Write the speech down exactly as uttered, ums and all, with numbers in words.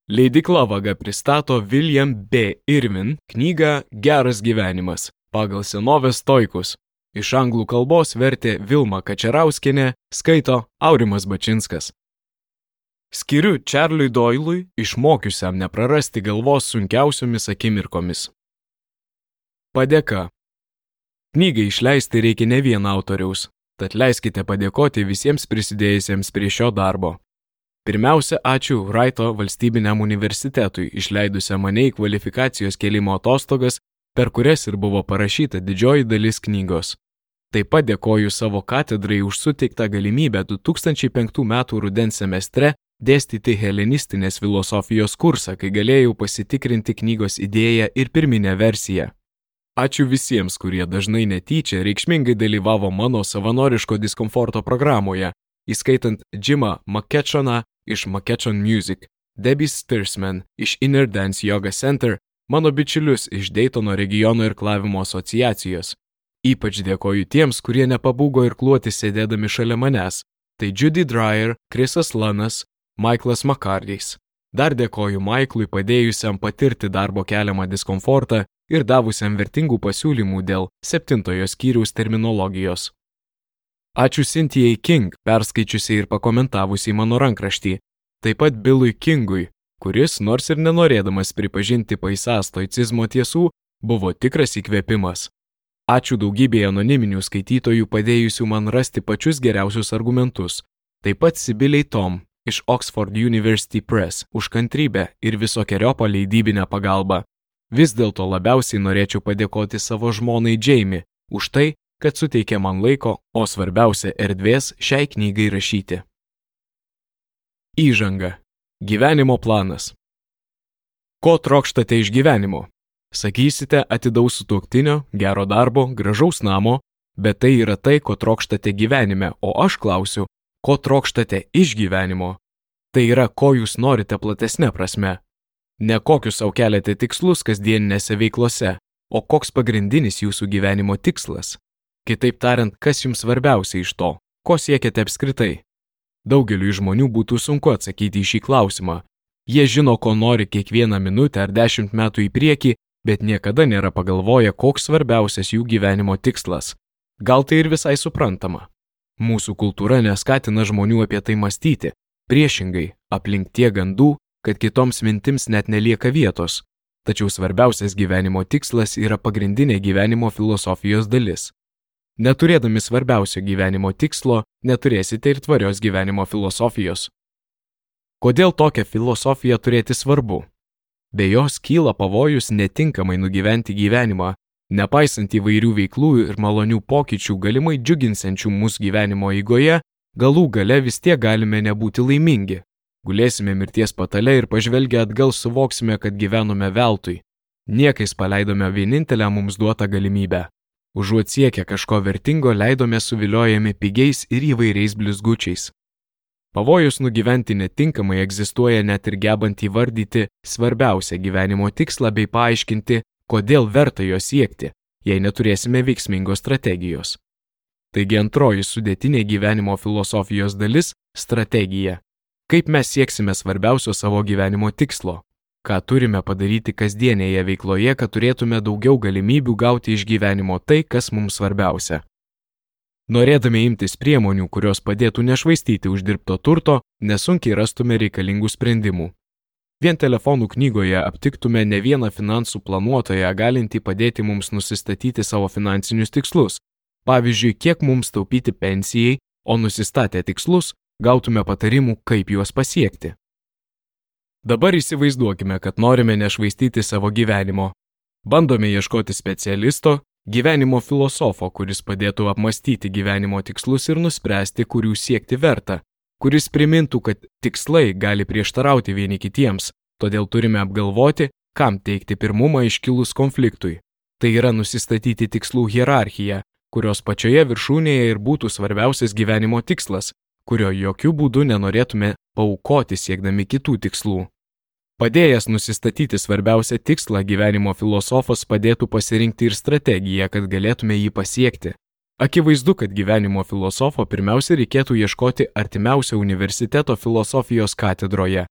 Leidykla Vaga pristato William B. Irwin knygą Geras gyvenimas pagal senovės stoikus. Iš anglų kalbos vertė Vilma Kačerauskienė, skaito Aurimas Bačinskas. Skiriu Čarliui Doilui, išmokiusiam neprarasti galvos sunkiausiomis akimirkomis. Padėka. Knygai išleisti reikia ne vieno autoriaus, tad leiskite padėkoti visiems prisidėjusiems prie šio darbo. Pirmiausia, ačiū Wrighto valstybiniam universitetui, išleidusiam mane į kvalifikacijos kėlimo atostogas, per kurias ir buvo parašyta didžioji dalis knygos. Taip pat dėkoju savo katedrai už suteiktą galimybę du tūkstančiai penktų metų rudens semestre dėstyti helenistinės filosofijos kursą, kai galėjau pasitikrinti knygos idėją ir pirminę versiją. Ačiū visiems, kurie dažnai netyčia reikšmingai dalyvavo mano savanoriško diskomforto programoje, įskaitant Jimą McKetchoną iš McKetchon Music, Debbie Stirsman iš Inner Dance Yoga Center, mano bičiulius iš Daytono regiono irklavimo asociacijos. Ypač dėkoju tiems, kurie nepabūgo irkluoti sėdėdami šalia manęs. Tai Judy Dreyer, Chrisas Lanas, Michaelas McCartys. Dar dėkoju Michaelui padėjusiam patirti darbo keliamą diskomfortą ir davusiam vertingų pasiūlymų dėl septintojo skyriaus terminologijos. Ačiū Cynthijai King, perskaičiusiai ir pakomentavusiai mano rankraštį, taip pat Billui Kingui, kuris, nors ir nenorėdamas pripažinti paisą stoicizmo tiesų, buvo tikras įkvėpimas. Ačiū daugybėje anoniminių skaitytojų padėjusių man rasti pačius geriausius argumentus, taip pat Sibilei Tom iš Oxford University Press už kantrybę ir visokeriopą leidybinę pagalbą. Vis dėlto labiausiai norėčiau padėkoti savo žmonai Jamie už tai, kad suteikė man laiko, o svarbiausia erdvės šiai knygai rašyti. Įžanga. Gyvenimo planas. Ko trokštate iš gyvenimo? Sakysite, atidaus sutuoktinio, gero darbo, gražaus namo, bet tai yra tai, ko trokštate gyvenime, o aš klausiu, ko trokštate iš gyvenimo? Tai yra, ko jūs norite platesne prasme. Ne kokius sau keliate tikslus kasdieninėse veiklose, o koks pagrindinis jūsų gyvenimo tikslas. Kitaip tariant, kas jums svarbiausia iš to, ko siekiate apskritai? Daugeliui žmonių būtų sunku atsakyti į šį klausimą. Jie žino, ko nori kiekvieną minutę ar dešimt metų į priekį, bet niekada nėra pagalvoję, koks svarbiausias jų gyvenimo tikslas. Gal tai ir visai suprantama. Mūsų kultūra neskatina žmonių apie tai mąstyti. Priešingai, aplink tie gandų, kad kitoms mintims net nelieka vietos. Tačiau svarbiausias gyvenimo tikslas yra pagrindinė gyvenimo filosofijos dalis. Neturėdami svarbiausio gyvenimo tikslo, neturėsite ir tvarios gyvenimo filosofijos. Kodėl tokią filosofiją turėti svarbu? Be jos kyla pavojus netinkamai nugyventi gyvenimą, nepaisant įvairių veiklų ir malonių pokyčių galimai džiuginsiančių mūsų gyvenimo eigoje, galų gale vis tiek galime nebūti laimingi. Gulėsime mirties patale ir pažvelgę atgal suvoksime, kad gyvenome veltui. Niekais paleidome vienintelę mums duotą galimybę. Užuot siekę kažko vertingo, leidome suviliojami pigiais ir įvairiais blizgučiais. Pavojus nugyventi netinkamai egzistuoja net ir gebant įvardyti svarbiausią gyvenimo tikslą bei paaiškinti, kodėl verta jo siekti, jei neturėsime veiksmingos strategijos. Taigi antroji sudėtinė gyvenimo filosofijos dalis – strategija. Kaip mes sieksime svarbiausio savo gyvenimo tikslo? Ką turime padaryti kasdienėje veikloje, kad turėtume daugiau galimybių gauti iš gyvenimo tai, kas mums svarbiausia. Norėdami imtis priemonių, kurios padėtų nešvaistyti uždirbto turto, nesunkiai rastume reikalingų sprendimų. Vien telefonų knygoje aptiktume ne vieną finansų planuotoją, galintį padėti mums nusistatyti savo finansinius tikslus. Pavyzdžiui, kiek mums taupyti pensijai, o nusistatę tikslus, gautume patarimų, kaip juos pasiekti. Dabar įsivaizduokime, kad norime nešvaistyti savo gyvenimo. Bandome ieškoti specialisto, gyvenimo filosofo, kuris padėtų apmastyti gyvenimo tikslus ir nuspręsti, kurių siekti verta, kuris primintų, kad tikslai gali prieštarauti vieni kitiems, todėl turime apgalvoti, kam teikti pirmumą iškilus konfliktui. Tai yra nusistatyti tikslų hierarchiją, kurios pačioje viršūnėje ir būtų svarbiausias gyvenimo tikslas, kurio jokių būdų nenorėtume paaukoti siekdami kitų tikslų. Padėjęs nusistatyti svarbiausią tikslą, gyvenimo filosofas padėtų pasirinkti ir strategiją, kad galėtume jį pasiekti. Akivaizdu, kad gyvenimo filosofo pirmiausia reikėtų ieškoti artimiausio universiteto filosofijos katedroje,